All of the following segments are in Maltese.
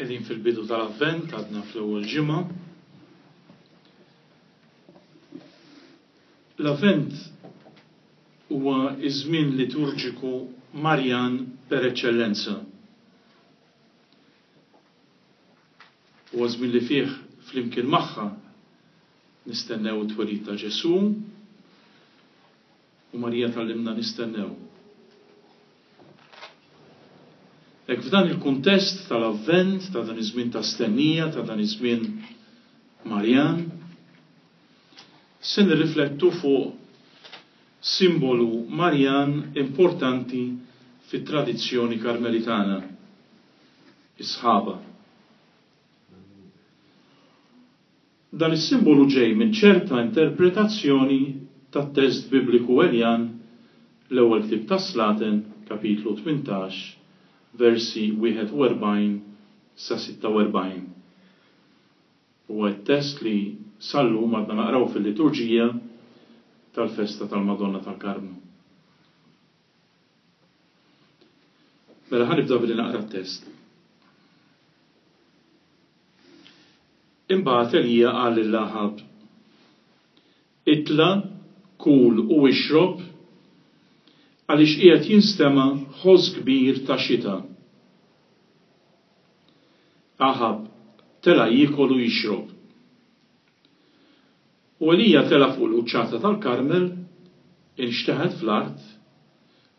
Qegħdin fil-bidu tal-Avvent, għadna fl-ewwel ġimgħa. L-Avvent huwa ż-żmien liturġiku Marjan per eċċellenza. Huwa żmien li fih flimkien magħha nistennew it-twelid ta' Ġesù u Marija tgħallimna nistennew. Hekk f'dan il-kuntest tal-Avvent, ta' dan iż-żmien ta' stennija, ta' dan iż-żmien Marjan, se nirriflettu fuq simbolu Marjan importanti fit-tradizzjoni Karmelitana, is-sħaba. Dan is-simbolu ġej minn ċerta interpretazzjoni tat-test Bibliku Eljan, l-Ewwel Ktieb tas-Slaten, kapitlu 18, versi 41 sa 46. Huwa t-test li sal-lum għadna naqraw fil-liturġija tal-festa tal-Madonna tal-Karmnu. Mela ħa nibda billi naqra t-test. Imbagħad Elija qal lil Aħab, Itla', kul u ixrob, għaliex qiegħed jinstema' ħoss kbir ta' xita. Aħab tela' jiekol u jixrob. U Elija tela' fuq il-quċċata tal-Karmel, inxteħet fl-art,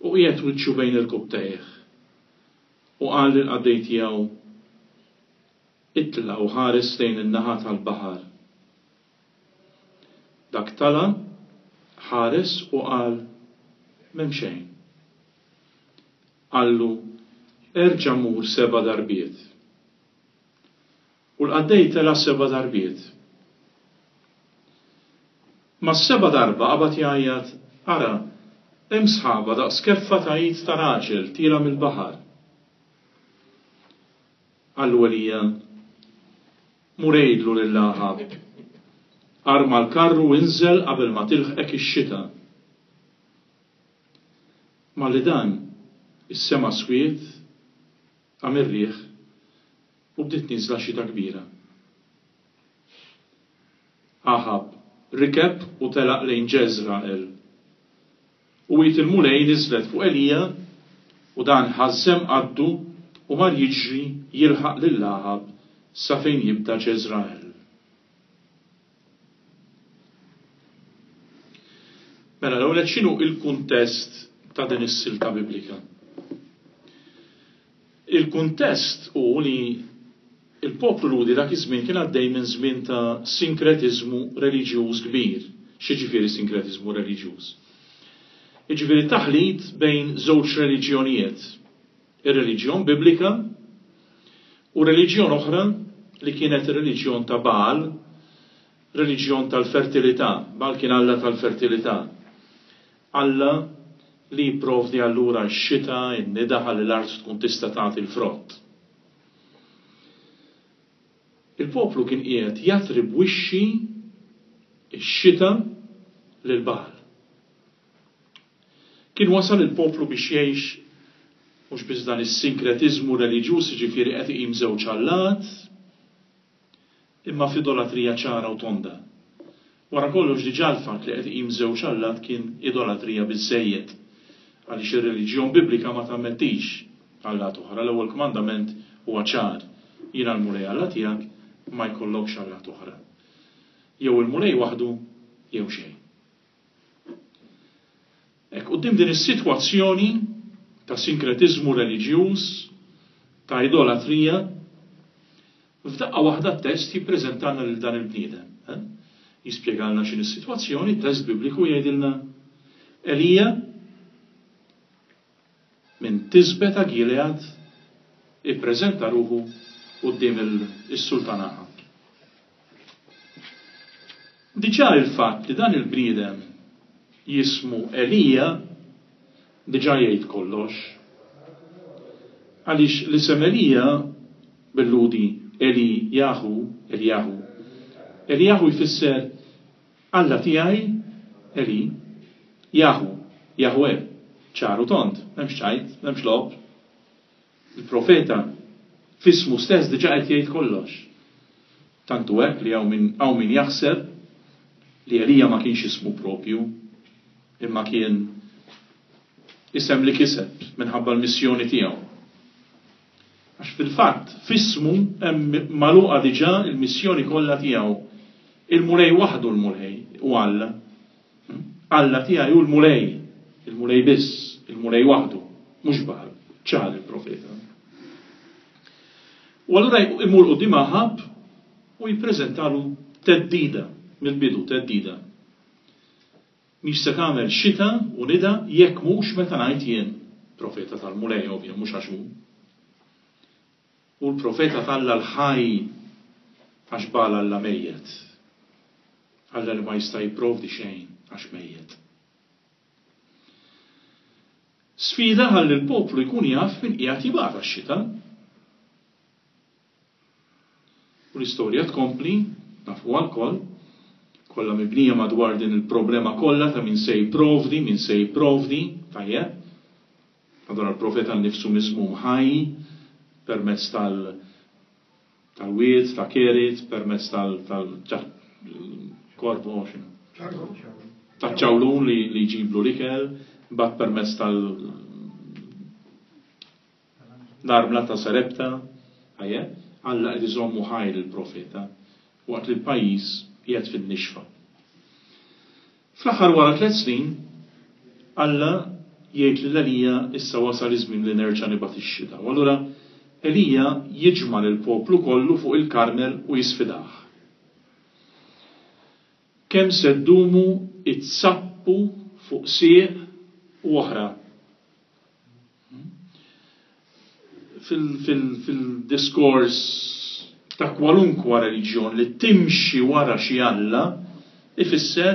u qiegħed wiċċu bejn irkubbtejh, u qal lill-qaddej tiegħu, Itla' u ħares lejn in-naħa tal-baħar. Dak tala', ħares u qal, M'hemm xejn. Qallu, Erġa' mur seba' darbiet. U l-qaddej tela' seba' darbiet. Mas-seba' darba qabad jgħajjat, Ara, hemm sħaba daqs keffa ta' id ta' raġel tielgħa mill-baħar. Qallu Elija, Mur għidlu lil Aħab, 'Arma l-karru u inżel qabel ma tilħqek ix-xita. Malli dan, is-sema swied, Qam ir-riħ u bdiet nieżla xita kbira. Aħab rikeb u telaq lejn Ġeżragħel. U id il-Mulej niżlet fuq Elija u dan ħażżem qaddu u mar jiġri jilħaq lil Aħab sa fejn jibda Ġeżragħel. Mela l-ewwel nett x'inhu l-kuntest ta' din is-silta Biblika? Il-kuntest hu li l-poplu Lhudi dak iż-żmien kien għaddej minn żmien ta' sinkretiżmu reliġjuż kbir. X'jiġifieri sinkretiżmu reliġjuż? Jiġifieri taħlit bejn żewġ reliġjonijiet, ir-reliġjon Biblika u reliġjon oħra li kienet ir-reliġjon ta' Baal, reliġjon tal-fertilità. Baal kien alla tal-fertilità. Alla li jipprovdi allura x-xita, in-nida ħalli l-art tkun tista' tagħti l-frott. Il-poplu kien qiegħed jattribwixxi x-xita lil Baal. Kien wasal il-poplu biex jgħix mhux biss dan is-sinkretiżmu reliġjuż, jiġifieri qed iqim żewġ allat, imma f'idolatrija ċara u tonda. Wara kollox diġà l-fatt li qed iqim żewġ allat kien idolatrija biżżejjed, għaliex ir-reliġjon Biblika ma tammettix allat oħra. L-ewwel kmandament huwa ċar, Jiena l-Mulej Alla tiegħek, ma jkollokx allat oħra. Jew il-Mulej waħdu jew xejn. Hekk, quddiem din is-sitwazzjoni ta' sinkretiżmu reliġjuż, ta' idolatrija, f'daqqa waħda t-test jippreżentalna lil dan il-bniedem. Eh? Jispjegalna x'inhi s-sitwazzjoni, t-test Bibliku jgħidilna Elija minn Tisbe ta' Gilead ippreżenta ruħu quddiem is-sultan Aħab. Diġà il-fatt li dan il-bniedem jismu Elija diġà jgħid kollox. Għaliex l-isem Elija bil-Lhudi Elijahu, Elijahu, Elijahu jfisser Alla tiegħi, Eli, Jahu, Jahweh, ċar u tond, m'hemmx ċajt, m'hemmx logħob. Il-profeta. F'ismu stess diġà qed jgħid kollox. Tant hu hekk li hawn min hawn min jaħseb li Elija ma kienx ismu proprju, imma kien isem li kiseb minħabba l-missjoni tiegħu. Għax fil-fatt, f'ismu hemm magħluqa diġà l-missjoni kollha tiegħu. Il-Mulej waħdu l-Mulej u Alla. Alla tiegħi hu l-Mulej, il-Mulej biss, il-Mulej waħdu, mhux Bagħal, ċar il-profeta. U allura imur quddiem Aħab u jippreżentalu theddida, mill-bidu theddida. Mhix se tagħmel xita u nida jekk mhux meta ngħid jien, profeta tal-Mulej ovvja, mhux għax hu. Hu l-profeta t'Alla l-ħaj għax Bagħal alla mejjet. Alla li ma jista' jipprovdi xejn għax mejjet. Sfida ħalli l-poplu jkun jaf min qiegħed jibgħat għax-xita. U l-istorja tkompli, nafuha lkoll, kollha mibnija madwar din il-problema kollha ta' min se jipprovdi, min se jipprovdi, tajjeb. Allura l-profeta nnifsu miżmum ħaj permezz tal tal-wied ta' Kerit, permezz tal tal korvo x'inhu? Taċ-ċawlun li li jġiblu l-ikel, imbagħad permezz tal l-armla ta' Sarepta, tajjeb, Alla qed iżommu ħaj lill-profeta waqt li l-pajjiż qiegħed fin-nixfa. Fl-aħħar wara tlett snin, Alla jgħid lil Elija issa wasal iż-żmien li nerġa' nibgħat ix-xita. U allura Elija jiġma' lill-poplu kollu fuq il-Karmel u jisfidah. Kemm se ddumu itzappu fuq sieq u oħra? Fil-diskors ta' kwalunkwa reliġjon li timxi wara xi alla, ifisser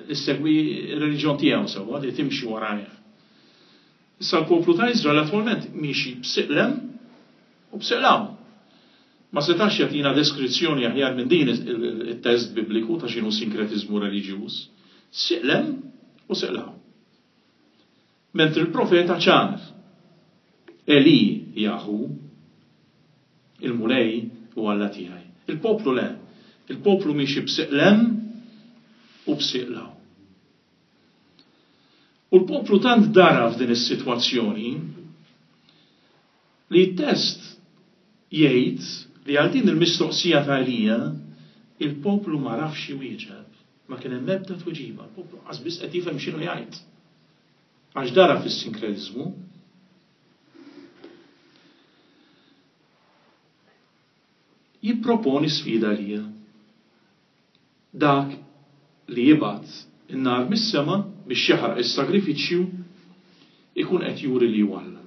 li ssegwi r-reliġjon tiegħu sewwa, li timxi warajh. Issa l-poplu ta' Iżrael attwalment miexi b'sieq 'l hemm u b'sieq 'l hawn. Ma setax jagħtina deskrizzjoni aħjar minn din it-test Bibliku ta' x'inhu sinkretiżmu reliġjuż. Sieq 'l hemm u sieq 'l hawn. Mentri l-profeta ċar, Eli Jahu, il-Mulej hu Alla tiegħi. Il-poplu le. Il-poplu miexi b'sieq 'l hemm u b'sieq 'l hawn. U l-poplu tant dara f'din is-sitwazzjoni li t-test jgħid li għal din il-mistoqsija ta' Elija il-poplu ma rafx iwieġeb. Ma kien hemm ebda tweġiba, il-poplu qas biss qed jifhem x'inhu jgħid. Għax dara fis-sinkretiżmu. Jipproponi sfida għalija. Dak li jibgħat in-nar mis-sema biex jaħraq is-sagrifiċċju ikun qed juri li hu Alla.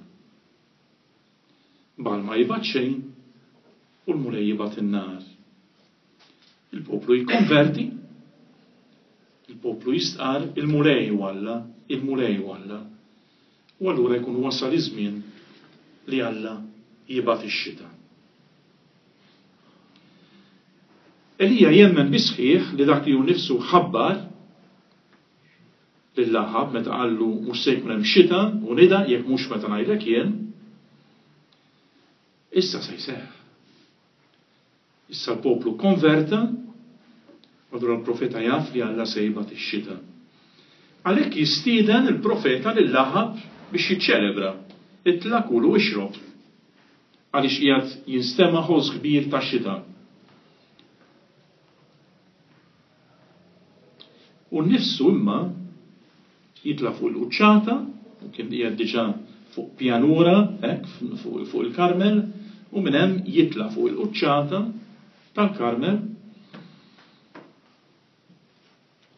Bagħal ma jibgħat xejn u l-Mulej jibgħat in-nar. Il-poplu jikkonverti, il-poplu jistqarr il-Mulej hu Alla, il-Mulej hu Alla. U allura jkun wasal iż-żmien li Alla jibgħat ix-xita. Elija jemmen bis-sħiħ li dak li hu nnifsu ħabbar lil Aħab meta qallu mhux se jkun hemm xita u nida jekk mhux meta ngħidlek jien, issa se jseħħ. Issa l-poplu kkonverta, u allura l-profeta jaf li Alla se jibgħat ix-xita. Għalhekk jistieden il-profeta lil Aħab biex jiċċelebra, Itla' kul u ixrob, għaliex qiegħed jinstema' ħoss kbir ta' xita. Hu nnifsu imma jitla' fuq il-quċċata, u kien qiegħed diġà fuq pjanura hekk fuq il-Karmel, u minn hemm jitla' fuq il-quċċata tal-Karmel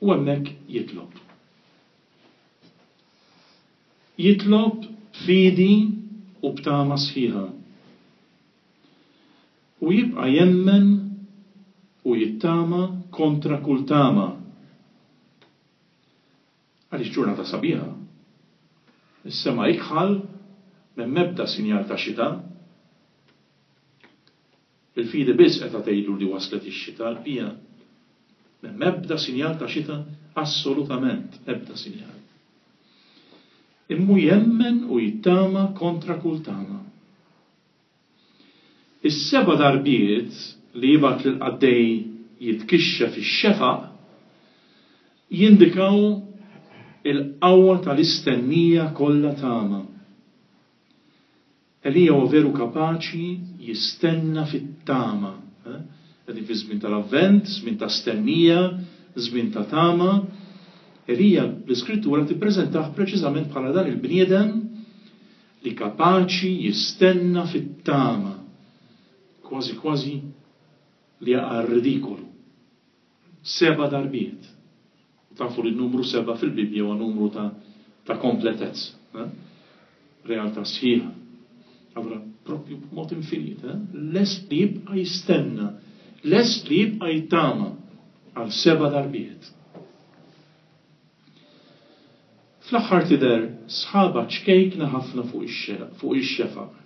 u hemmhekk jitlob. Jitlob b'fidi u b'tama sħiħa. U jibqa' jemmen u jittama kontra kull tama. Għaliex ġurnata sabiħa. Is-sema ikħal, m'hemm ebda sinjal ta' xita. Il-fidi biss qed tgħidlu li waslet ix-xita, l-bqija m'hemm ebda sinjal ta' xita assolutament ebda sinjal. Imma hu jemmen u jittama kontra kull tama. Is-seba' darbiet li jibgħat lill-qaddej jitkixxef ix-xefaq jindikaw il-qawwa tal-istennija kollha tama. Elija huwa veru kapaċi jistenna fit-tama. Qegħdin fi żmien tal-Avvent, żmien ta' stennija, żmien ta' tama. Elija l-Iskrittura tippreżentah preċiżament bħala dan il-bniedem li kapaċi jistenna fit-tama, kważi kważi li jaqa' r-ridikolu. Seba' darbiet. U tafu li n-numru seba' fil-Bibbja huwa numru ta' ta' kompletezza. Eh? Realtà sħiħa. Allura propju b'mod infinit, eh? lest li jibqa' jistenna, lest li jibqa' jittama għal seba' darbiet. Fl-aħħar tidher sħaba ċkejkna ħafna fuq ix-xefaq.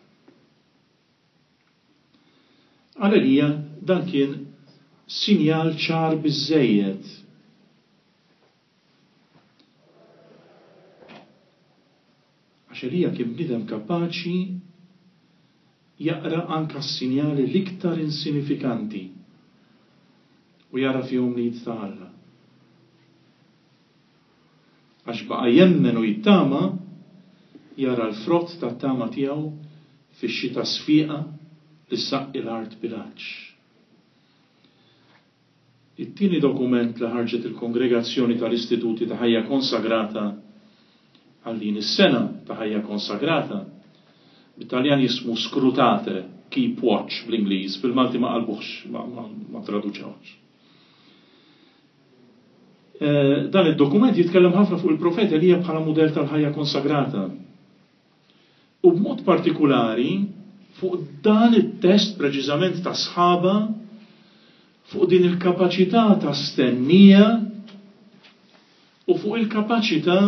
Għal Elija dan kien sinjal ċar biżżejjed. Għax Elija kien bniedem kapaċi jaqra anke s-sinjali l-iktar insinifikanti u jara fihom l-id ta' Alla. Għax baqa' jemmen u jittama, jara l-frott tat-tama tiegħu fix-xita sfiqa li ssaqqi l-art bil-għatx. It-tieni dokument li ħarġet il-Kongregazzjoni tal-Istituti ta' Ħajja Konsagrata għal din is-sena ta' ħajja konsagrata, bit-Taljan jismu Scrutate, Keep Watch bl-Ingliż, bil-Malti ma qalbuhx, ma traduċewhx. Dan id-dokument jitkellem ħafna fuq il-profeta Elija bħala mudell tal-ħajja konsagrata. U b'mod partikulari fuq dan it-test preċiżament ta' sħaba fuq din il-kapaċità ta' stennija u fuq il-kapaċità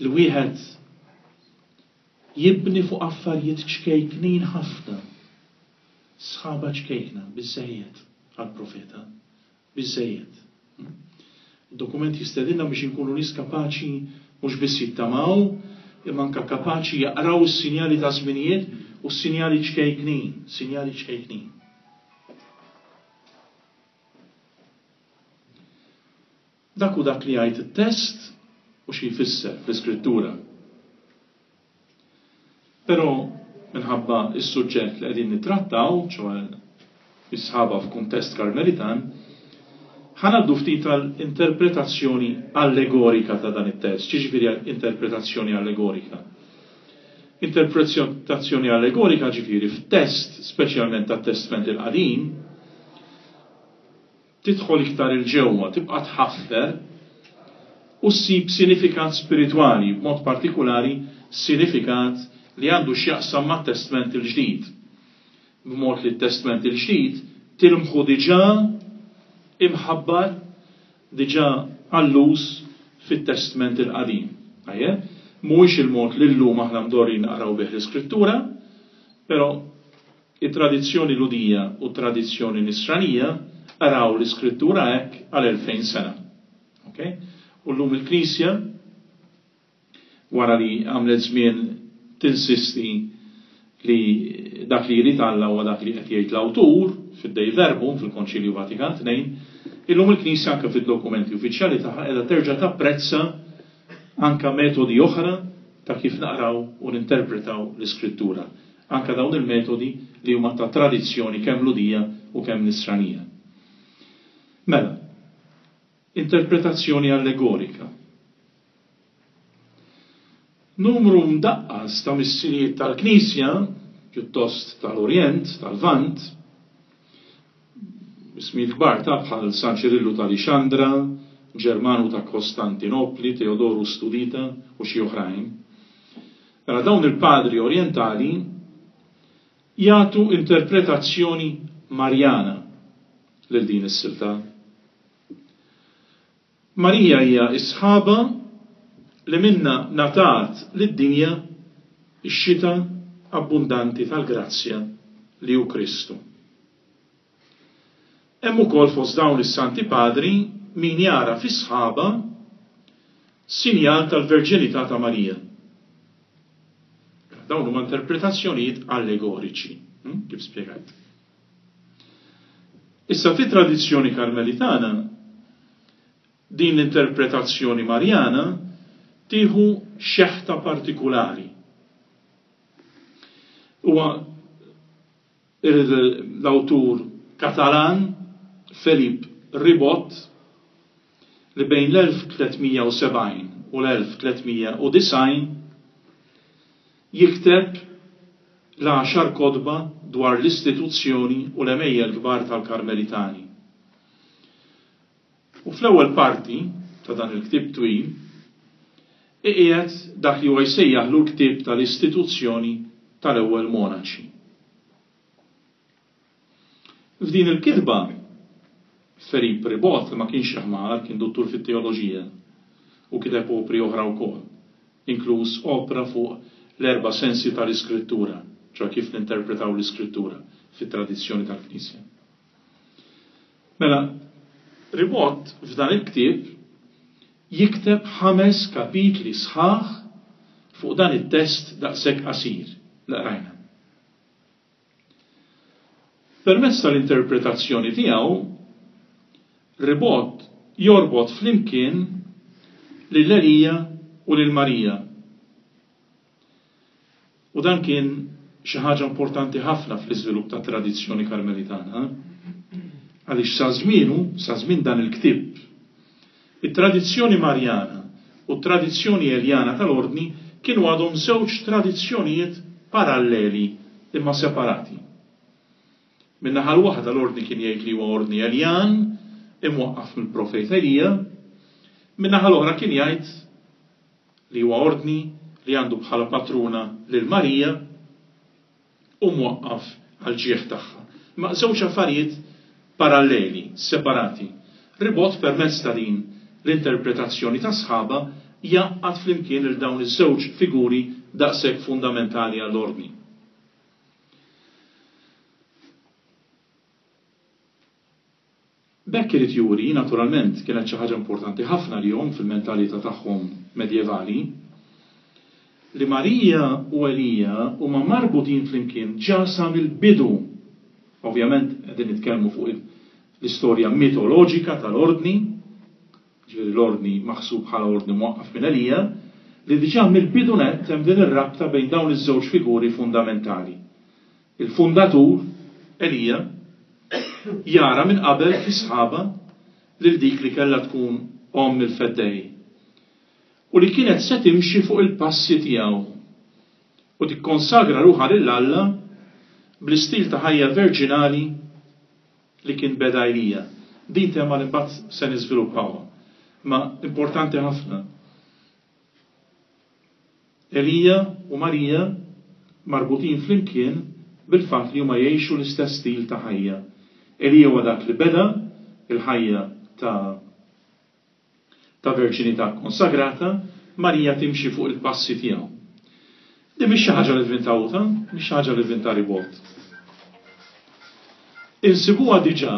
li wieħed jibni fuq affarijiet ċkejknin ħafna. Sħaba ċkejkna, biżżejjed għall-profeta. Biżżejjed. Id-dokument jistedinna biex inkunu nies kapaċi mhux biss jittamaw, imma anke kapaċi jaqraw is-sinjali ta' żminijiet u s-sinjali ċkejknin, sinjali ċkejknin. Dak hu dak li jgħid it-test u xi jfisser fl-Iskrittura. Però minħabba s-suġġett li qegħdin nittrattaw, ċoe is-sħaba f'kuntest Karmelitan, ħa ngħaddu ftit għal interpretazzjoni allegorika ta' dan it-test. X'jiġifieri interpretazzjoni allegorika? Interpretazzjoni allegorika ġifieri f'test, speċjalment tat-Testment il-Qadim, Tidħol iktar 'il ġewwa, tibqa' tħaffer u ssib sinifikat spiritwali, b'mod partikulari sinifikat li għandu x'jaqsam mat-Testment il-Ġdid. B'mod li t-Testment il-Ġdid tilmħu diġà imħabbar, diġà alluż fit-Testment il-Qadim. Tajjeb? Mhuwiex il-mod li llum aħna mdorrijin naqraw bih l-Iskrittura, però It-tradizzjoni Lhudija u t-tradizzjoni Nisranija qraw l-Iskrittura hekk għal 2000 sena. Ok? U llum il-Knisja, wara li għamlet żmien tinsisti li dak li jrid Alla huwa dak li qed jgħid l-awtur fid-Dei Verbum fil-Konċilju Vatikan II, illum il-Knisja anke fid-dokumenti uffiċjali tagħha qiegħda terġa' tapprezza anke metodi oħra ta' kif naqraw u ninterpretaw l-Iskrittura. Anke dawn il-metodi li huma ta' tradizzjoni kemm Lhudija u kemm Nisranija. Mela, interpretazzjoni allegorika. Numru mdaqqas ta' missirijiet tal-Knisja, pjuttost tal-Orjent, tal-Lvant, ismijiet kbar ta' bħal San Ċirillu ta' Lixandra, Ġermanu ta' Kostantinopli, Teodoru Studita u xi oħrajn, Mela dawn il-padri orjentali jagħtu interpretazzjoni Marjana lil din is-silta. Marija hija s-sħaba li minnha ngħatat lid-dinja x-xita abbundanti tal-grazzja li hu Kristu. Hemm ukoll fost dawn is-Santi Padri min jara fis-sħaba sinjal tal-verġinità ta' Marija. Dawn huma interpretazzjonijiet allegoriċi, kif spjegajt. Issa fit-tradizzjoni Karmelitana, din l-interpretazzjoni Marjana tieħu xeħta partikulari. Huwa l-awtur Katalan Felip Ribot li bejn l-1370 u l-1390 jikteb l-għaxar kotba dwar l-istituzzjoni u l-għemejjel kbar tal-Karmelitani. U fl-ewwel parti ta' dan il-ktieb twil, iqiegħed dak li huwa jsejjaħlu l-ktieb tal-istituzzjoni tal-ewwel monaċi. F'din il-kitba, Felip Ribot, li ma kienx xi ħmar, kien duttur fit-teoloġija u kiteb opri oħra wkoll, inkluż opra fuq l-erba' sensi tal-Iskrittura, ċoè kif ninterpretaw l-Iskrittura fit-tradizzjoni tal-Knisja. Mela, Ribot f'dan il-ktieb jikteb ħames kapitli sħaħ fuq dan it-test daqshekk qasir li qrajna. Permezz tal-interpretazzjoni tiegħu, Ribot jorbot flimkien lil Elija u lil Marija. U dan kien xi ħaġa importanti ħafna fl-iżvilupp tat-tradizzjoni Karmelitana, għaliex sa żmienu, sa żmien dan il-ktieb, it-tradizzjoni Marjana u t-tradizzjoni Eljana tal-Ordni kienu għadhom żewġ tradizzjonijiet paralleli imma separati. Min-naħa l-waħda l-Ordni kien jgħid li huwa Ordni Eljan, imwaqqaf mill-profeta Elija, min-naħa l-oħra kien jgħid li huwa ordni li għandu bħala patruna lil Marija u mwaqqaf għall-ġieħ tagħha. Imma żewġ affarijiet paralleli, separati. Ribot permezz ta' din l-interpretazzjoni ta' sħaba jgħaqqad flimkien lil dawn iż-żewġ figuri daqshekk fundamentali għall-ordni. B'hekk irid juri, naturalment, kienet xi ħaġa importanti ħafna għalihom fil-mentalità tagħhom medjevali, li Marija u Elija huma marbutin flimkien ġa sa mill-bidu. Ovvjament qegħdin nitkellmu fuq l-istorja mitoloġika tal-Ordni, jiġifieri l-Ordni maħsub bħala ordni mwaqqaf minn Elija, li diġà mill-bidu nett hemm din ir-rabta bejn dawn iż-żewġ figuri fundamentali. Il-fundatur, Elija, jara minn qabel fi sħaba lil dik li kellha tkun omm il-Feddej u li kienet se timxi fuq il-passi tiegħu u tikkonsagra ruħha lil Alla bl-istil ta' ħajja verġinali li kien beda Elija. Din tema li mbagħad se niżviluppawha. Ma importanti ħafna. Elija u Marija marbutin flimkien bil-fatt li huma jgħixu l-istess stil ta' ħajja. Elija huwa dak li beda l-ħajja ta' ta' verġinità kkonsagrata, Marija timxi fuq il-passi tiegħu. Din mhix xi ħaġa li vvinta hu, ta? Mhix xi ħaġa li vvinta Ribot. Insibuha diġà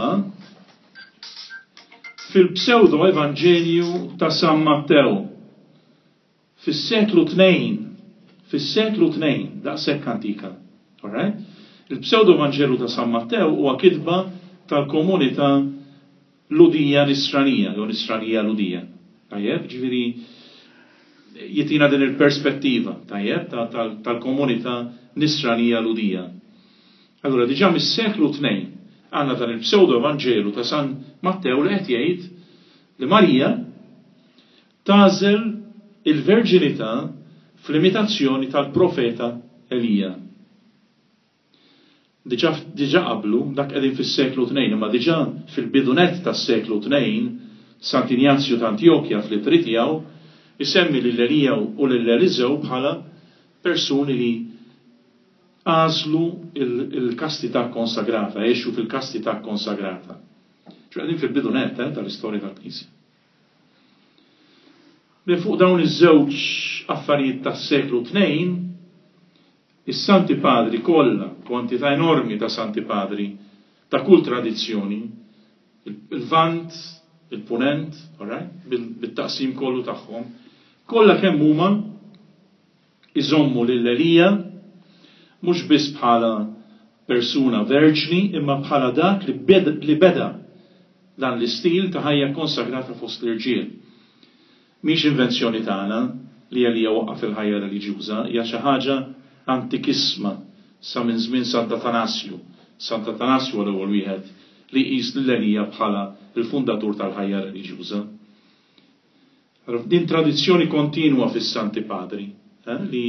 fil-pseudo-evanġelju ta' San Mattew. Fis-seklu tnejn, fis-seklu tnejn, daqshekk antika. All right? Il-pseudo-Vanġelu ta' San Mattew huwa kitba tal-komunità Lhudija Nisranija, jew Nisranija Lhudija. Tajjeb, ġifieri jitina din il-perspettiva, tajjeb, tal-komunità Nisranija Lhudija. Allura diġà mis-seklu tnejn għandna dan il-pseudo-Vanġelu ta' San Mattew li qed jgħid li Marija Tagħżel il-verġinità fl-imitazzjoni tal-profeta Elija. Diġà diġà qablu, dak qegħdin fis-seklu tnejn, imma diġà fil-bidu nett tas-seklu tnejn, Sant'Injazju ta' Antjokja fl-ittri tiegħu jsemmi lil Elija u lil Eliżew bħala persuni li għażlu l-kastità kkonsagrata, għexu fil-kastità kkonsagrata. Ċoè qegħdin fil-bidu nett eh, tal-istorja tal-Knisja. Minn fuq dawn iż-żewġ affarijiet tas-seklu tnejn, is-Santi Padri kollha, kwantità enormi ta' Santi Padri ta' kull tradizzjoni, il-Lvant, il-Punent, all right, bit-taqsim kollu tagħhom, kollha kemm huma iżommu lil Elija. Mhux biss bħala persuna verġni imma bħala dak li beda dan l-istil ta' ħajja kkonsagrata fost l-irġiel. Mhix invenzjoni tagħna li Elija waqqaf il-ħajja reliġjuża, hija xi ħaġa antikissma sa minn żmien Sant'Atanasju. Sant'Atanasju huwa l-ewwel wieħed li jqis lil Elija bħala l-fundatur tal-ħajja reliġjuża. Din tradizzjoni kontinwa fis-Santi Padri, li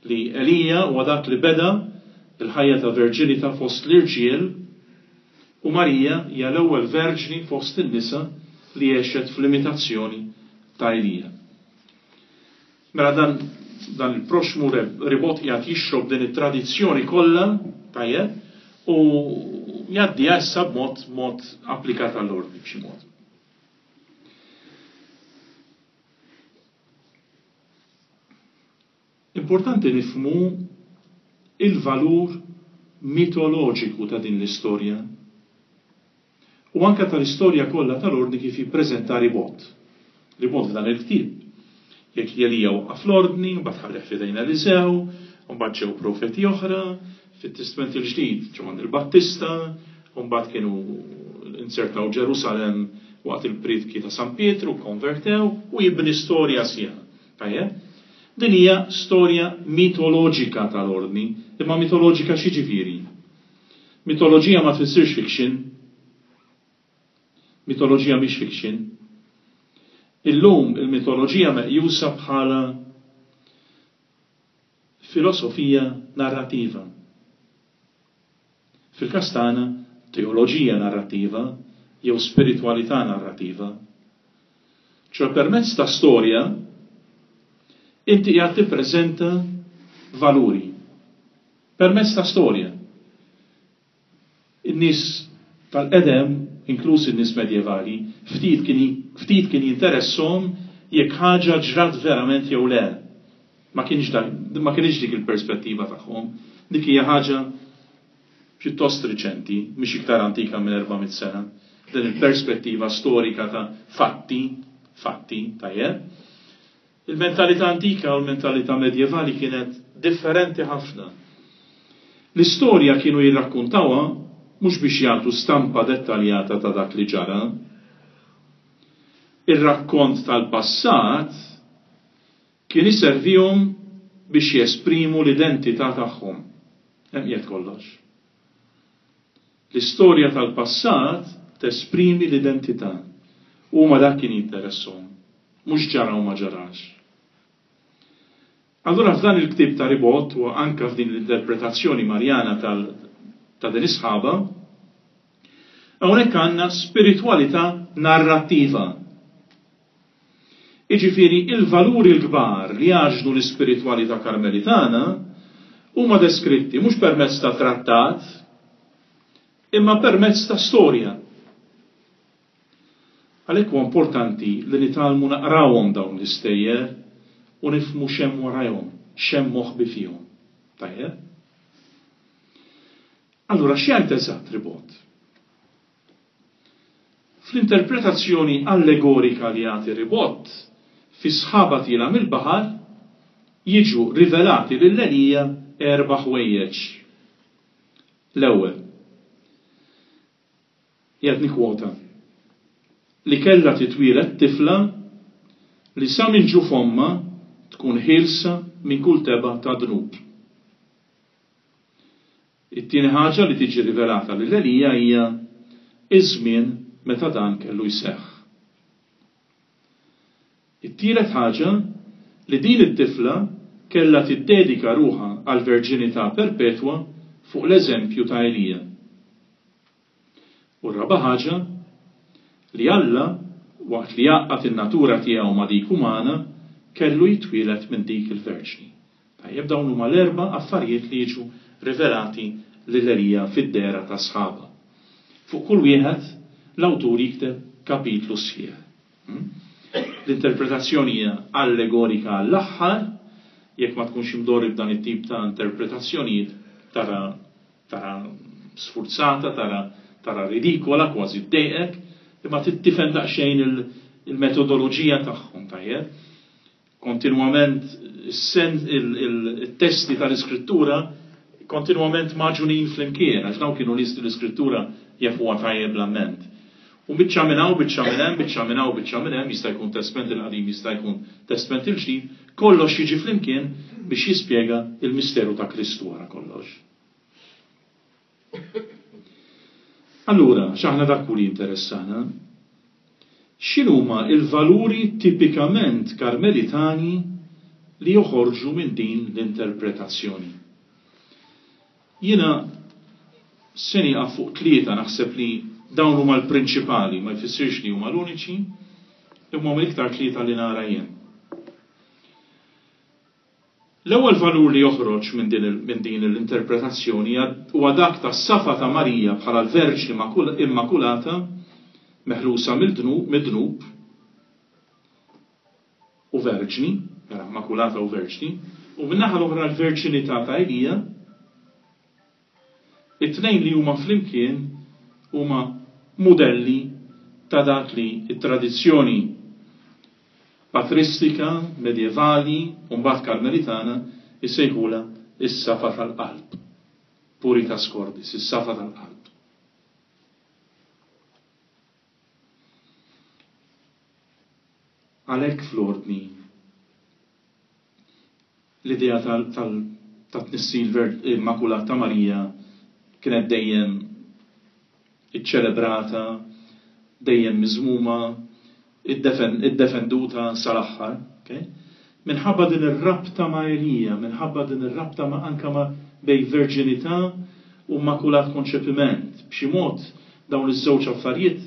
li Elija huwa dak li beda l-ħajja ta' verġinità fost l-irġiel u Marija hija l-ewwel verġni fost in-nisa li għexet fl-imitazzjoni ta' Elija. Mela dan dan il-proxxmu ribot qiegħed jixrob din it-tradizzjoni kollha, tajjeb, u jgħaddiha issa b'mod mod applikat għall-ordni b'xi mod. Importanti nifhmu il-valur mitoloġiku ta' din l-istorja u anke tal-istorja kollha tal-Ordni kif jippreżenta Ribot. Ribot f'dan il-ktieb jgħid li Elija waqqaf l-Ordni, mbagħad ħallih f'idejn Eliżew, u mbagħad ġew profeti oħra, fit-Testment il-Ġdid Ġwanni l-Battista, u mbagħad kienu inzertaw Ġerusalemm waqt il-prietki ta' San Pietru, kkonvertew, u jibni storja sħiħa. Tajjeb? Din hija storja mitoloġika tal-Ordni, imma mitoloġika x'jiġifieri? Mitoloġija ma tfissirx fiction. Mitoloġija mhix fiction. Illum il-mitoloġija meqjusa bħala filosofija narrativa. Fil-każ tagħna, teoloġija narrattiva jew spiritwalità narrativa. Ċoe permezz ta' storja inti qiegħed tippreżenta valuri. Permezz ta' storja. In-nies tal-qedem, inkluż in-nies medjevali, ftit kien ftit kien jinteresshom jekk ħaġa ġrat verament jew le. Ma kienx dak, ma kinitx dik il-perspettiva tagħhom. Dik hija ħaġa pjuttost riċenti, mhix iktar antika minn 400 sena, din il-perspettiva storika ta' fatti, fatti, tajjeb. Il-mentalità antika u l-mentalità medjevali kienet differenti ħafna. L-istorja kienu jirrakkuntawha mhux biex jagħtu stampa dettaljata ta' dak li ġara. Ir-rakkont tal-passat kien iservihom biex jesprimu l-identità tagħhom. Hemm qiegħed kollox. L-istorja tal-passat tesprimi l-identità. Huma dak kien jinteresshom, mhux ġara u ma ġarax. Allura f'dan il-ktieb ta' Ribot u anke f'din l-interpretazzjoni Marjana tal ta' din is-sħaba, hawnhekk għandna spiritwalità narrattiva. Jiġifieri il-valuri l-kbar li jgħaġnu l-ispiritwalità Karmelitana huma deskritti mhux permezz ta' trattat, imma permezz ta' storja. Għalhekk huwa importanti li nitgħallmu naqrawhom dawn l-istejjer u nifhmu x'hemm warajhom, x'hemm moħbi fihom. Tajjeb? Allura x'jgħid eżatt Ribot? Fl-interpretazzjoni allegorika li jagħti Ribot, fi sħaba tielgħa mill-baħar, jiġu rivelati lil Elija erba' ħwejjeġ. L-ewwel, qiegħed nikkwota, li kellha titwieled tifla li sa minn ġuf ommha tkun ħielsa minn kull tebgħa ta' dnub. It-tieni ħaġa li tiġi rivelata lil Elija hija ż-żmien meta dan kellu jseħħ. It-tielet ħaġa li din it-tifla kellha tiddedika ruħha għall-verġinità perpetwa fuq l-eżempju ta' Elija. U r-raba' ħaġa, li Alla, waqt li jgħaqqad in-natura tiegħu ma' dik umana, kellu jitwieled minn dik il-verġni. Tajjeb, dawn huma l-erba' affarijiet li jiġu rivelati lil Elija fid-dehra ta' sħaba. Fuq kull wieħed, l-awtur jikteb kapitlu sħiħ. L-interpretazzjoni hija allegorika għall-aħħar, jekk ma tkunx imdorri b'dan it-tip ta' interpretazzjonijiet tara Tara sfurzata, tara tara ridikola, kważi ddejqek, imma trid tifhem daqsxejn il-metodoloġija tagħhom, tajjeb? Kontinwament it-testi tal-Iskrittura kontinwament magħġunin flimkien, għax dawn kienu nies li l-Iskrittura jafuha tajjeb l-amment. U biċċa minn hawn, biċċa minn hemm, biċċa minn hawn, biċċa minn hemm, jista' jkun Testment il-Qadim, jista' jkun Testment il-Ġdid, kollox jiġi flimkien biex jispjega il-misteru ta' Kristu wara kollox. Allura, x'aħna dak hu li jinteressana? X'inhuma l-valuri tipikament Karmelitani li joħorġu minn din l-interpretazzjoni? Jiena se nieqaf fuq tlieta, naħseb li dawn huma l-prinċipali, ma jfissirx li huma l-uniċi, imma huma l-iktar tlieta li nara jien. L-ewwel valur li joħroġ minn din minn din l-interpretazzjoni huwa dak tas-safa ta' Marija bħala l-Verġni Immakulata meħlusa mid-dnub u verġni, mela Immakulata u verġni, u min-naħa l-oħra l-verġinità ta' Elija. It-tnejn li huma flimkien huma mudelli ta' dak li t-tradizzjoni patristika, medjevali u mbagħad Karmelitana jsejħulha s-safa tal-qalb, puritas cordis, is-safa tal-qalb. Għalhekk fl-Ordni l-idea tat-tnissil immakulat ta' Marija kienet dejjem iċċelebrata, dejjem miżmuma, iddefenduta sal-aħħar. Minħabba din ir-rabta ma' Elija, minħabba din ir-rabta ma' anke ma' bejn verġinità u immakulat konċepiment. B'xi mod dawn iż-żewġ affarijiet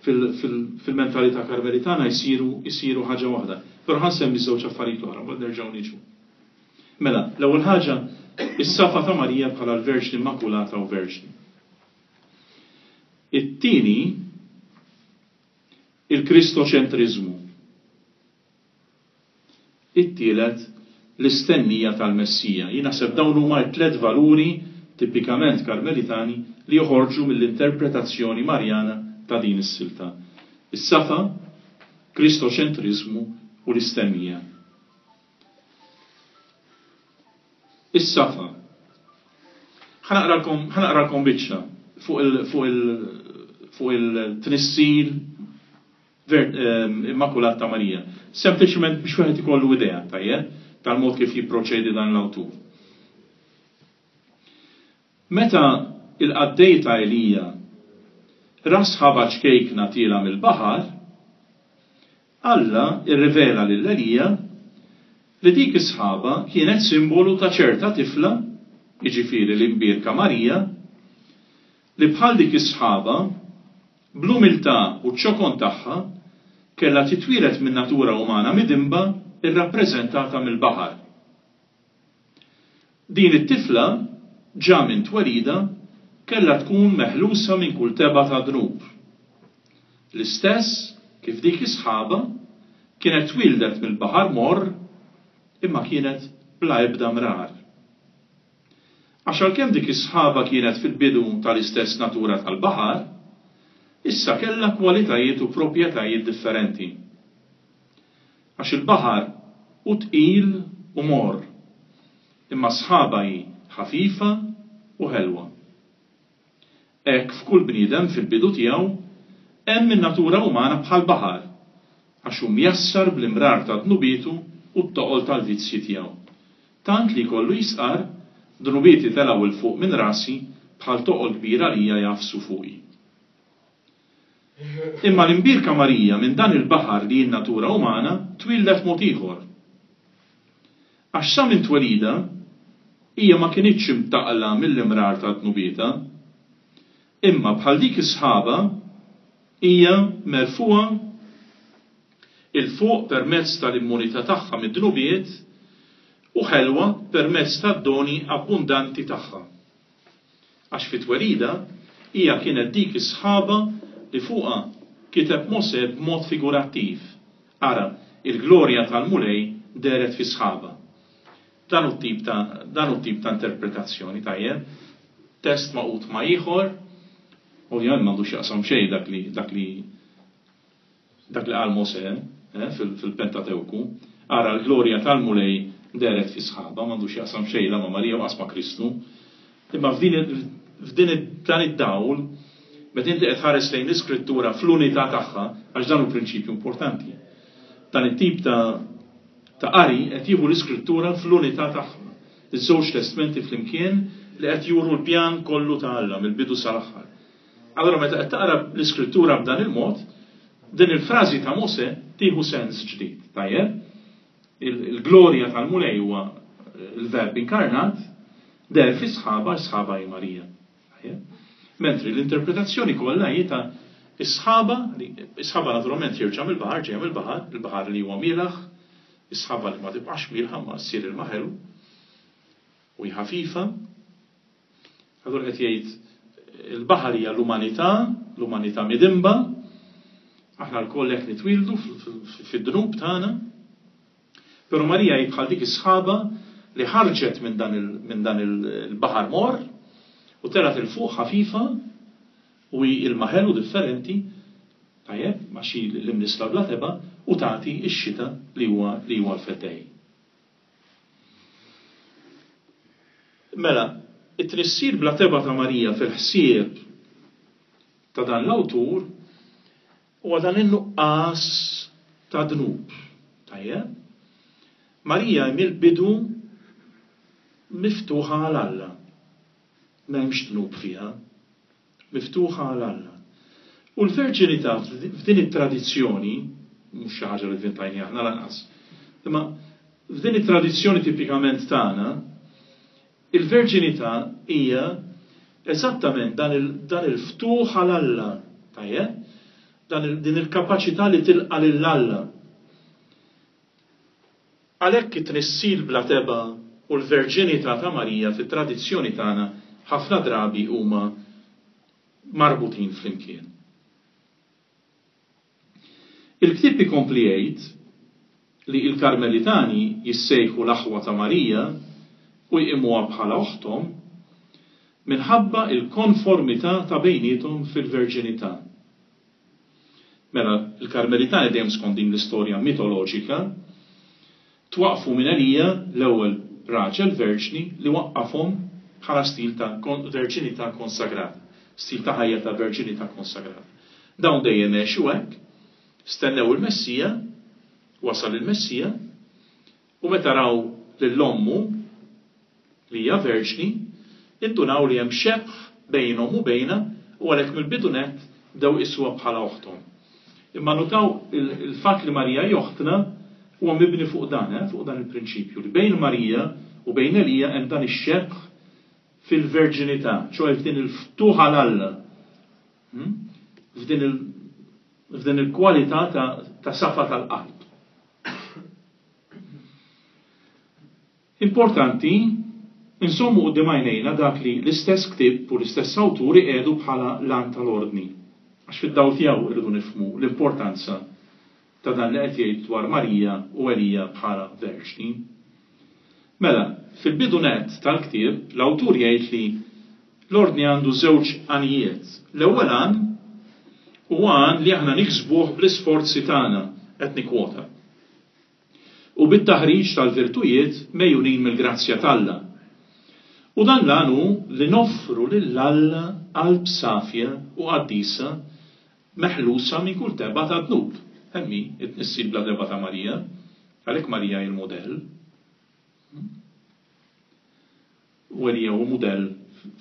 fil-mentalità Karmelitana jsiru jsiru ħaġa waħda. Però ħa nsemmi ż-żewġ affarijiet l-oħra, mbagħad nerġgħu niġu. Mela, l-ewwel ħaġa, is-safa ta' Marija bħala l-Verġni Immakulata u Verġni. It-tieni, il-Kristoċentriżmu. It-tielet, l-istennija tal-Messija. Jien naħseb dawn huma t-tliet valuri tipikament Karmelitani li joħorġu mill-interpretazzjoni Marjana ta' din is-silta. Is-safa, Kristoċentriżmu u l-istennija. Is-safa. Ħa naqralkom, ħa naqralkom biċċa fuq il, fuq il, fuq il-tnissil Immakulat ta' Marija. Sempliċement biex wieħed ikollu idea, tajjeb, tal-mod kif jipproċedi dan l-awtur. Meta il-qaddej ta' Elija ra sħaba ċkejkna tiela mill-baħar, Alla rrivela lil Elija li dik is-sħaba kienet simbolu ta' ċerta tifla, jiġifieri l-imbierka Marija, li bħal dik is-sħaba, bl-umiltà u ċ-ċokon tagħha, kellha titwieled min-natura umana midinba rrappreżentata mill-baħar. Din it-tifla, ġa minn twelidha, kellha tkun meħlusa minn kull tebgħa ta' dnub. L-istess kif dik is-sħaba kienet twieldet mill-baħar morr imma kienet bla ebda mrar. Għax għalkemm dik is-sħaba kienet fil-bidu tal-istess natura tal-baħar, issa kellha kwalitajiet u proprjetajiet differenti. Għax il-baħar hu tqil u morr, imma s-sħaba hi ħafifa u ħelwa. Hekk f'kull bniedem fil-bidu tiegħu hemm in-natura umana bħall-baħar, għax hu mjassar bl-imrar ta' dnubietu u t-toqol tal-vizzji tiegħu. Tant li jkollu jistqarr, Dnubieti telgħu 'l fuq minn rasi bħal toqol kbir għalija jagħfsu fuqi. Imma l-Imbierka Marija minn dan il-baħar li hi n-natura umana twieldet mod ieħor. Għax sa minn twelidha hija ma kinitx imtaqqla mill-imrar ta' dnubietha, imma bħal dik is-sħaba hija merfugħa 'il fuq permezz tal-immunità tagħha mid-dnubiet u ħelwa permezz tad-doni abbundanti tagħha. Għax fi twelidha, hija kienet dik is-sħaba li fuqha kiteb Mosè b'mod figurattiv, Ara, il-glorja tal-Mulej dehret fi sħaba. Dan hu t-tip ta' dan hu t-tip ta' interpretazzjoni, tajjeb? Test magħqud ma' ieħor, ovvjament m'għandu x'jaqsam xejn dak li dak li Dak li qal Mosè, eh, fil-Pentatewku, Ara l-glorja tal-Mulej dehret fi sħaba, m'għandu x'jaqsam xejn la ma' Marija u qas ma' Kristu. Imma f'din f'din dan id-dawl, meta inti qed tħares lejn l-Iskrittura fl-unità tagħha, għax dan hu prinċipju importanti. Dan it-tip ta' ta' qari qed jieħu l-Iskrittura fl-unità tagħha. Iż-żewġ testmenti flimkien li qed juru l-pjan kollu ta' Alla mill-bidu sal-aħħar. Allura meta qed taqra l-Iskrittura b'dan il-mod, din il-frażi ta' Mosè tieħu sens ġdid. Tajjeb? Il-glorja tal-Mulej huwa l-Verb inkarnat, deher fi sħaba, s-sħaba hi Marija. Mentri l-interpretazzjoni kollha hi ta' is-sħaba, is-sħaba naturalment ħierġa mill-baħar, ġejja mill-baħar, il-baħar li huwa mielaħ, is-sħaba li ma tibqax mielħa ma ssir ilma ħelu u hi ħafifa. Allura qed jgħid il-baħar hija l-umanità, l-umanità midinba, aħna lkoll hekk nitwieldu fid-dnub tagħna. Però Marija hi bħal dik is-sħaba li ħarġet minn dan minn dan il-baħar morr u telgħet 'il fuq ħafifa u hi ilma ħelu differenti, tajjeb, għax hi l-imnissla bla tebgħa u tagħti x-xita li huwa li huwa l-Feddej. Mela, it-tnissil bla tebgħa ta' Marija fil-ħsieb ta' dan l-awtur Huwa dan in-nuqqas ta' dnub. Tajjeb? Marija hi mill-bidu miftuħa għal Alla. M'hemmx dnub fiha. Miftuħa għal Alla. U l-verġinità f'din it-tradizzjoni, mhux xi ħaġa li vvintajniha aħna lanqas, imma f'din it-tradizzjoni tipikament tagħna, Il-verġinità hija eżattament dan il, dan il-ftuħ għal Alla, tajjeb? Dan il, din il-kapaċità li tilqa' lil Alla. Għalhekk it-tnissil bla tebgħa u l-verġinità ta' Marija fit-tradizzjoni tagħna ħafna drabi huma marbutin flimkien. Il-ktieb ikompli jgħid li l-Karmelitani jissejħu l-aħwa ta' Marija u jqimuha bħala oħthom minħabba l-konformità ta' bejniethom fil-verġinità. Mela, l-Karmelitani dejjem skont din l-istorja mitoloġika, Twaqqfu minn Elija, l-ewwel raġel verġni li waqqafhom bħala stil ta' verġinità konsagrata, stil ta' ħajja ta' verġinità konsagrata. Dawn dejjem għexu hekk, stennew il-Messija, wasal il-Messija, u meta raw lil ommu, li hija verġni, indunaw li hemm xebh bejnhom u bejnha u għalhekk mill-bidu nett bdew iqisuha bħala oħthom. Imma nutaw il-fatt li Marija hi oħtna huwa mibni fuq dan, eh, fuq dan il-prinċipju li bejn Marija u bejn Elija hemm dan ix-xebh fil-verġinità, ċoe f'din il-ftuħ għal Alla, hmm? f'din il f'din il-kwalità ta', ta safa tal-qalb. Importanti nżommu quddiem għajnejna dak li l-istess ktieb u l-istess awtur iqiegħdu bħala l-għan tal-Ordni, għax fid-dawl tiegħu rridu nifhmu l-importanza ta' dan li qed jgħid dwar Marija u Elija bħala verġni. Mela, fil-bidu nett tal-ktieb, l-awtur jgħid li l-Ordni għandu żewġ għanijiet. L-ewwel għan huwa għan li aħna niksbuh bl-isforzi tagħna, qed nikkwota. U bit-taħriġ tal-virtujiet megħjunin mill-grazzja t'Alla. U dan l-għan hu li noffru lil Alla qalb safja u qaddisa meħlusa minn kull tebgħa ta' dnub. Hemm hi, it-tnissil bla tebgħa ta' Marija. Għalhekk Marija hi l-mudell. U Elija hu mudell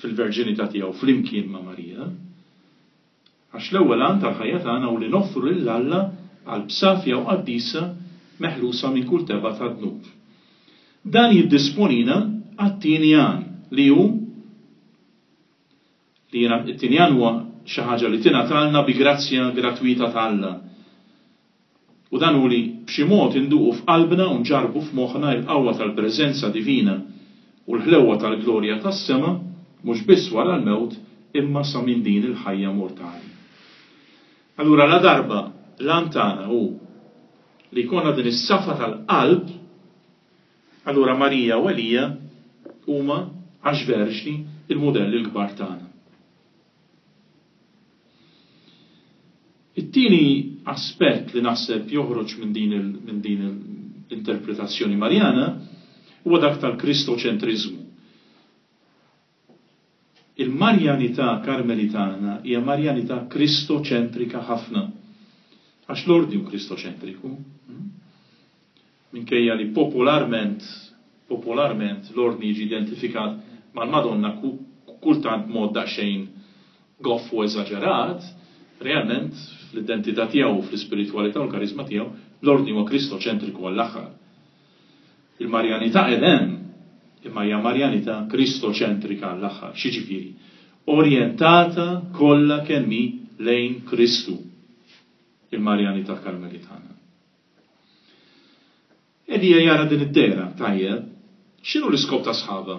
fil-verġinità tiegħu flimkien ma' Marija. Għax l-ewwel għan tal-ħajja tagħna hu li noffru lil Alla qalb safja u qaddisa meħlusa minn kull tebgħa ta' dnub. Dan jiddisponina għat-tieni għan, li hu li it-tieni għan huwa xi ħaġa li tingħatalna bi grazzja gratwita ta' Alla. U dan hu li b'xi mod induqu f'qalbna u nġarrbu f'moħħna l-qawwa tal-preżenza divina u l-ħlewwa tal-glorja tas-sema, mhux biss wara l-mewt, imma sa minn din il-ħajja mortali. Allura ladarba l-għan tagħna hu li jkollna din is-safa tal-qalb, allura Marija u Elija huma, għax verġni, il-mudelli l-kbar tagħna. It-tieni aspett li naħseb joħroġ minn din minn din l-interpretazzjoni Marjana huwa dak tal-Kristoċentriżmu. Il-Marjanità Karmelitana hija Marjanità Kristoċentrika ħafna. Għax l-Ordni hu Kristoċentriku. Minkejja li popolarment, popolarment l-Ordni jiġi identifikat mal-Madonna kultant b'mod daqsxejn goff u eżaġerat, realment fl-identità tiegħu u fl-ispiritwalità u l-kariżma tiegħu, l-Ordni huwa Kristoċentriku għall-aħħar. Il-Marjanità qiegħda hemm, imma hija Marjanità Kristoċentrika għall-aħħar. X'jiġifieri? Orjentata kollha kemm hi lejn Kristu, il-Marjanità Karmelitana. Elija jara din id-dehra, tajjeb. X'inhu l-iskop ta' sħaba?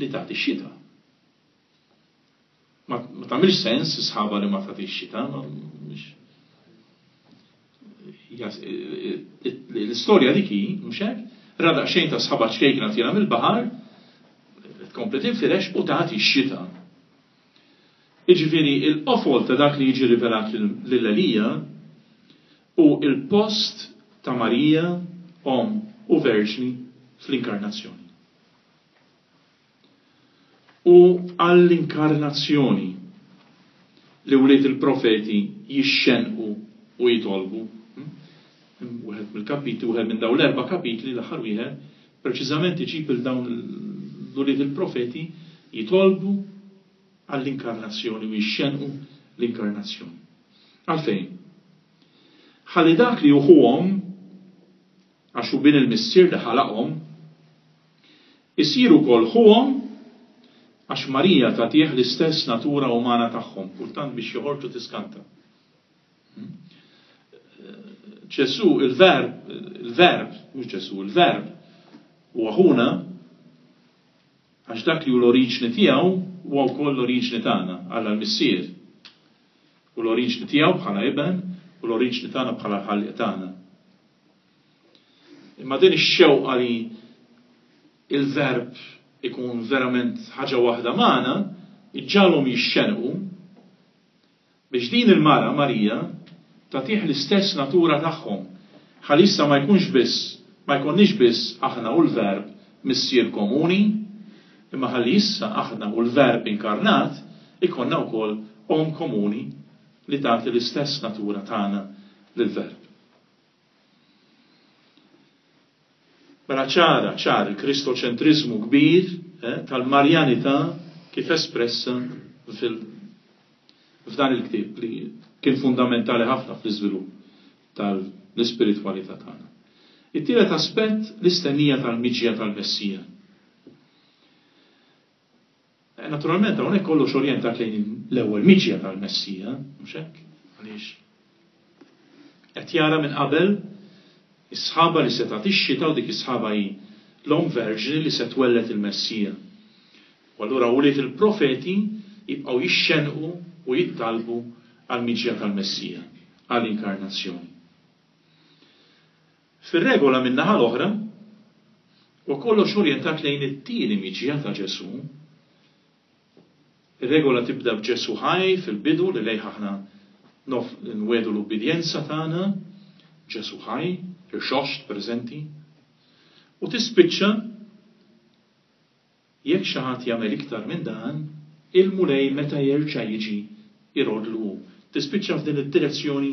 Li tagħti x-xita. Ma tagħmilx sens sħaba li ma tagħtix xita. L-istorja dik hi, mhux hekk? Ra daqsxejn ta' sħaba ċkejkna tiela mill-baħar, tkompli tinfirex u tagħti x-xita. Jiġifieri il-qofol ta' dak li jiġi rivelat lil Elija hu l-post ta' Marija, Omm u Verġni fl-Inkarnazzjoni. U għall-Inkarnazzjoni li wlied il-profeti jixxennqu u jitolbu. Wieħed mill-kapitli, wieħed minn dawn l-erba' kapitli, l-aħħar wieħed, preċiżament iġib 'il dawn l-ulied il-profeti jitolbu għall-inkarnazzjoni u jixxennqu l-inkarnazzjoni. Għalfejn? Ħalli dak li hu ħuhom, għax hu bin il-Missier li ħalaqhom, isir ukoll ħuhom għax Marija tagħtih l-istess natura umana tagħhom, kultant biex joħorġu tiskanta. Ġesù, il-Verb, il-Verb, mhux Ġesù, il-Verb huwa ħuna għax dak li hu l-oriġni tiegħu huwa wkoll l-oriġni tagħna, Alla l-Missier. U l-oriġni tiegħu bħala iben u l-oriġni tagħna bħala l-ħallieq tagħna. Imma din ix-xewqa li il-verb ikun verament ħaġa waħda magħna, iġġagħalhom jixxenqu Biex din il-mara, Marija, tagħtih l-istess natura tagħhom, ħalli issa ma jkunx biss, ma jkollniex biss aħna u l-Verb Missier komuni, imma ħalli issa aħna u l-Verb inkarnat ikollna wkoll Omm komuni li tagħti l-istess natura tagħna lill-Verb. Mela ċara, ċar il-Kristoċentriżmu kbir eh, tal-Marjanità kif espressa fil f'dan il-ktieb li kien fundamentali ħafna fl-iżvilupp tal-ispiritwalità tagħna. It-tielet aspett l-istennija tal-miġja tal-Messija. Eh, naturalment hawnhekk kollox orjentat lejn l-ewwel miġja tal-Messija, mhux hekk? Għaliex qed jara minn qabel is-sħaba li se tagħti x-xita u dik is-sħaba hi l-omm verġni li se twelled il-Messija. U allura wlied il-profeti jibqgħu jixxennqu u jittalbu għall-miġja tal-Messija, għall-inkarnazzjoni. Fir-regola min-naħa l-oħra, huwa kollox orjentat lejn it-tieni miġja ta' Ġesù. Ir-regola tibda b'Ġesù ħaj fil-bidu li lejh aħna nwiegħdu l-ubbidjenza tagħna, Ġesù ħaj, irxoxt, preżenti, u tispiċċa Jekk xi ħadd jagħmel iktar minn dan, il-Mulej meta jerġa' jiġi jroddlu hu. Tispiċċa f'din id-direzzjoni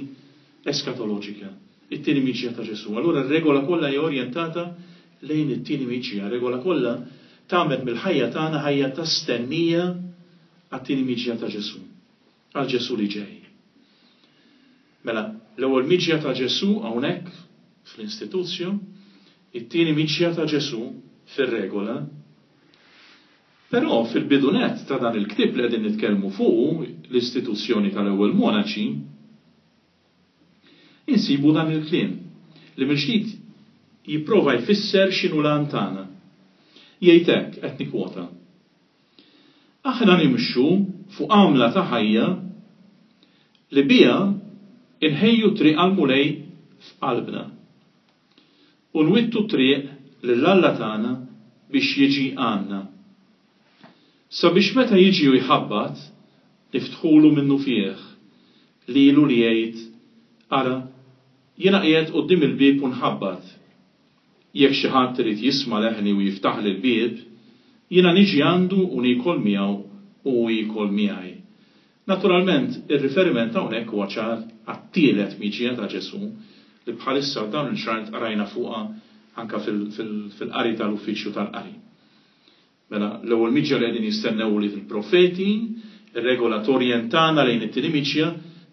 eskatoloġika, it-tieni miġja ta' Ġesù. Allura r-regola kollha hija orjentata lejn it-tieni miġja. R-regola kollha tagħmel mill-ħajja tagħna ħajja ta' stennija għat-tieni miġja ta' Ġesù, għal Ġesù li ġej. Mela, l-ewwel miġja ta' Ġesù hawnhekk fl-Institutio, it-tieni miġja ta' Ġesù fir-Regola. Però fil-bidu nett ta' dan il-ktieb li qegħdin nitkellmu fuqu, l-istituzzjoni tal-ewwel monaċi, insibu dan il-kliem li mill-ġdid jipprova jfisser x'inhu l-għan tagħna. Jgħid hekk, qed nikkwota, Aħna nimxu fuq għamla ta' ħajja li biha nħejju t-triq għall-Mulej f'qalbna u nwittu t-triq lil Alla tagħna biex jiġi għandna, sabiex meta jiġi u jħabbat, niftħulu minnufih, lilu li jgħid, Ara, jiena qiegħed quddiem il-bieb u nħabbat. Jekk xi ħadd irid jisma' leħni u jiftaħli l-bieb, Jiena niġi għandu u niekol miegħu u hu jiekol miegħi. Naturalment, ir-riferiment hawnhekk huwa ċar għat-tielet miġja ta' Ġesù, li bħalissa f'dawn il-ġranet qrajna fuqha anke fil-qari tal-uffiċċju tal-qari. Mela, l-ewwel miġja li qegħdin jistennew ulied il-profeti, ir-regola torjentana lejn it-tieni miġja,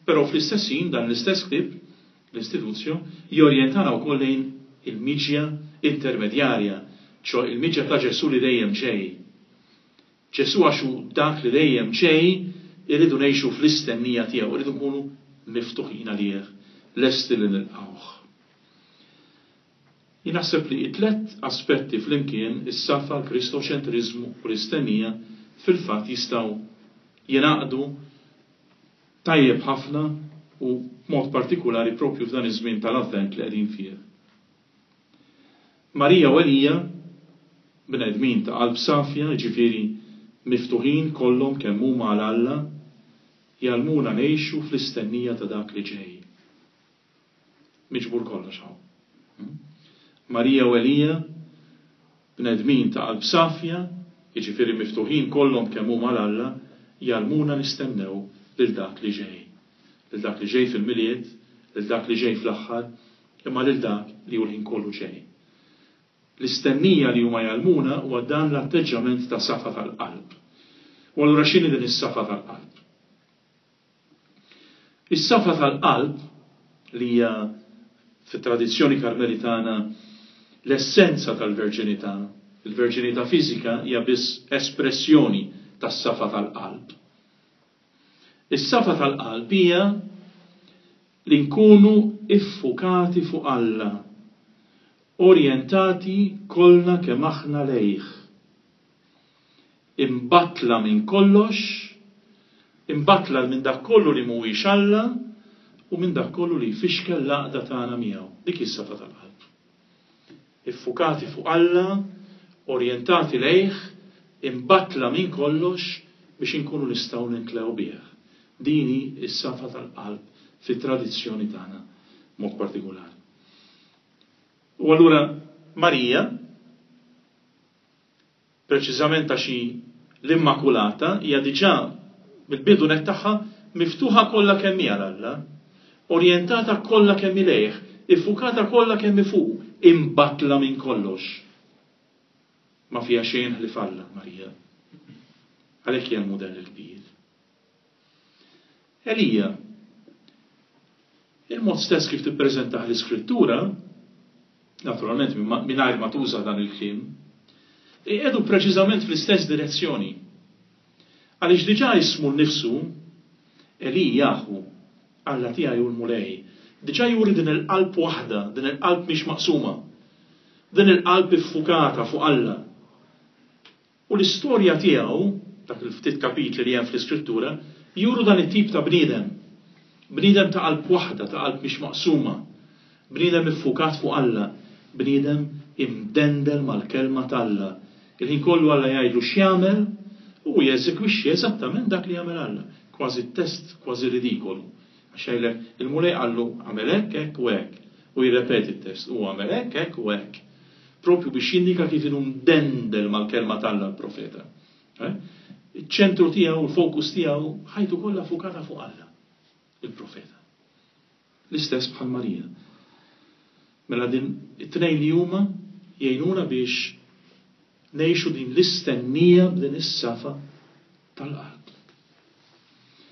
però fl-istess ħin dan l-istess ktieb, l-Institutio, jorjentana wkoll lejn il-miġja intermedjarja, ċoe il-miġja ta' Ġesù li dejjem ġej. Ġesù għax hu dak li dejjem ġej, irridu ngħixu fl-istennija tiegħu, irridu nkunu miftuħin għalih, lesti li nilqgħuh. Jien naħseb li t-tlett aspetti flimkien, is-safa, l-Kristoċentriżmu u l-istennija, fil-fatt jistgħu jingħaqdu tajjeb ħafna u b'mod partikulari proprju f'dan iż-żmien tal-Avvent li qegħdin fih. Marija u Elija, bnedmin ta' qalb safja, jiġifieri miftuħin kollhom kemm huma għal Alla, jgħallmuna ngħixu fl-istennija ta' dak li ġej. Miġbur kollox hawn. Marija u Elija, bnedmin ta' qalb safja, jiġifieri miftuħin kollhom kemm huma għal Alla, jgħallmuna nistennew lil dak li ġej. Lil dak li ġej fil-Milied, lil dak li ġej fl-aħħar, imma lil dak li hu l-ħin kollu ġej. L-istennija li huma jgħallmuna huwa dan l-atteġġjament ta' safa tal-qalb. U allura x'inhi din is-safa tal-qalb? Is-safa tal-qalb, li hija fit-tradizzjoni Karmelitana l-essenza tal-verġinità, il-verġinità fiżika hija biss espressjoni tas-safa tal-qalb. Is-safa tal-qalb hija li nkunu iffukati fuq Alla, orjentati kollna kemm aħna lejh. Imbattla minn kollox, imbattla minn dak kollu li mhuwiex Alla u minn dak kollu li jfixkel l-għaqda tagħna miegħu. Dik hi s-safa tal-qalb. Iffukati fuq Alla, orjentati lejh, imbattla minn kollox biex inkunu nistgħu nintlew bih. Din hi s-safa tal-qalb fit-tradizzjoni tagħna b'mod partikulari. U allura Marija, preċiżament għax hi l-Immakulata, hija diġà mill-bidu nett tagħha miftuħa kollha kemm hi għal Alla, orjentata kollha kemm hi lejh, iffukata kollha kemm hi fuqu, imbattla minn kollox. Ma fiha xejn ħlief Alla, Marija. Għalhekk hija l-mudell il-kbir. Elija, il-mod stess kif tippreżentah l-Iskrittura, naturalment mingħajr ma tuża dan il-kliem, iqiegħdu preċiżament fl-istess direzzjoni. Għaliex diġà ismu nnifsu, Elijahu, Alla tiegħi hu l-Mulej, diġà juri din il-qalb waħda, din il-qalb mhix maqsuma, din il-qalb iffukata fuq Alla. U l-istorja tiegħu, dak il-ftit kapitli li hemm fl-Iskrittura, juru dan it-tip ta' bniedem. Bniedem ta' qalb waħda, ta' qalb mhix maqsuma. Bniedem iffukat fuq Alla. Bniedem imdendel mal-Kelma t'Alla. Il-ħin kollu Alla jgħidlu x'jagħmel, u hu jeżegwixxi eżattament dak li jagħmel Alla. Kważi test kważi ridikolu. Għax jgħidlek, il-Mulej qallu agħmel hekk, hekk u hekk. U jirrepeti t-test, u għamel hekk, hekk u hekk. Propju biex jindika kif inhu mdendel mal-Kelma t'Alla l-profeta. Eh? Iċ-ċentru tiegħu, il-fokus tiegħu, ħajtu kollha fukata fuq Alla, il-profeta. L-istess bħal Marija. Mela din it-tnejn li huma jgħinuna biex ngħixu din l-istennija b'din is-safa tal-qalb.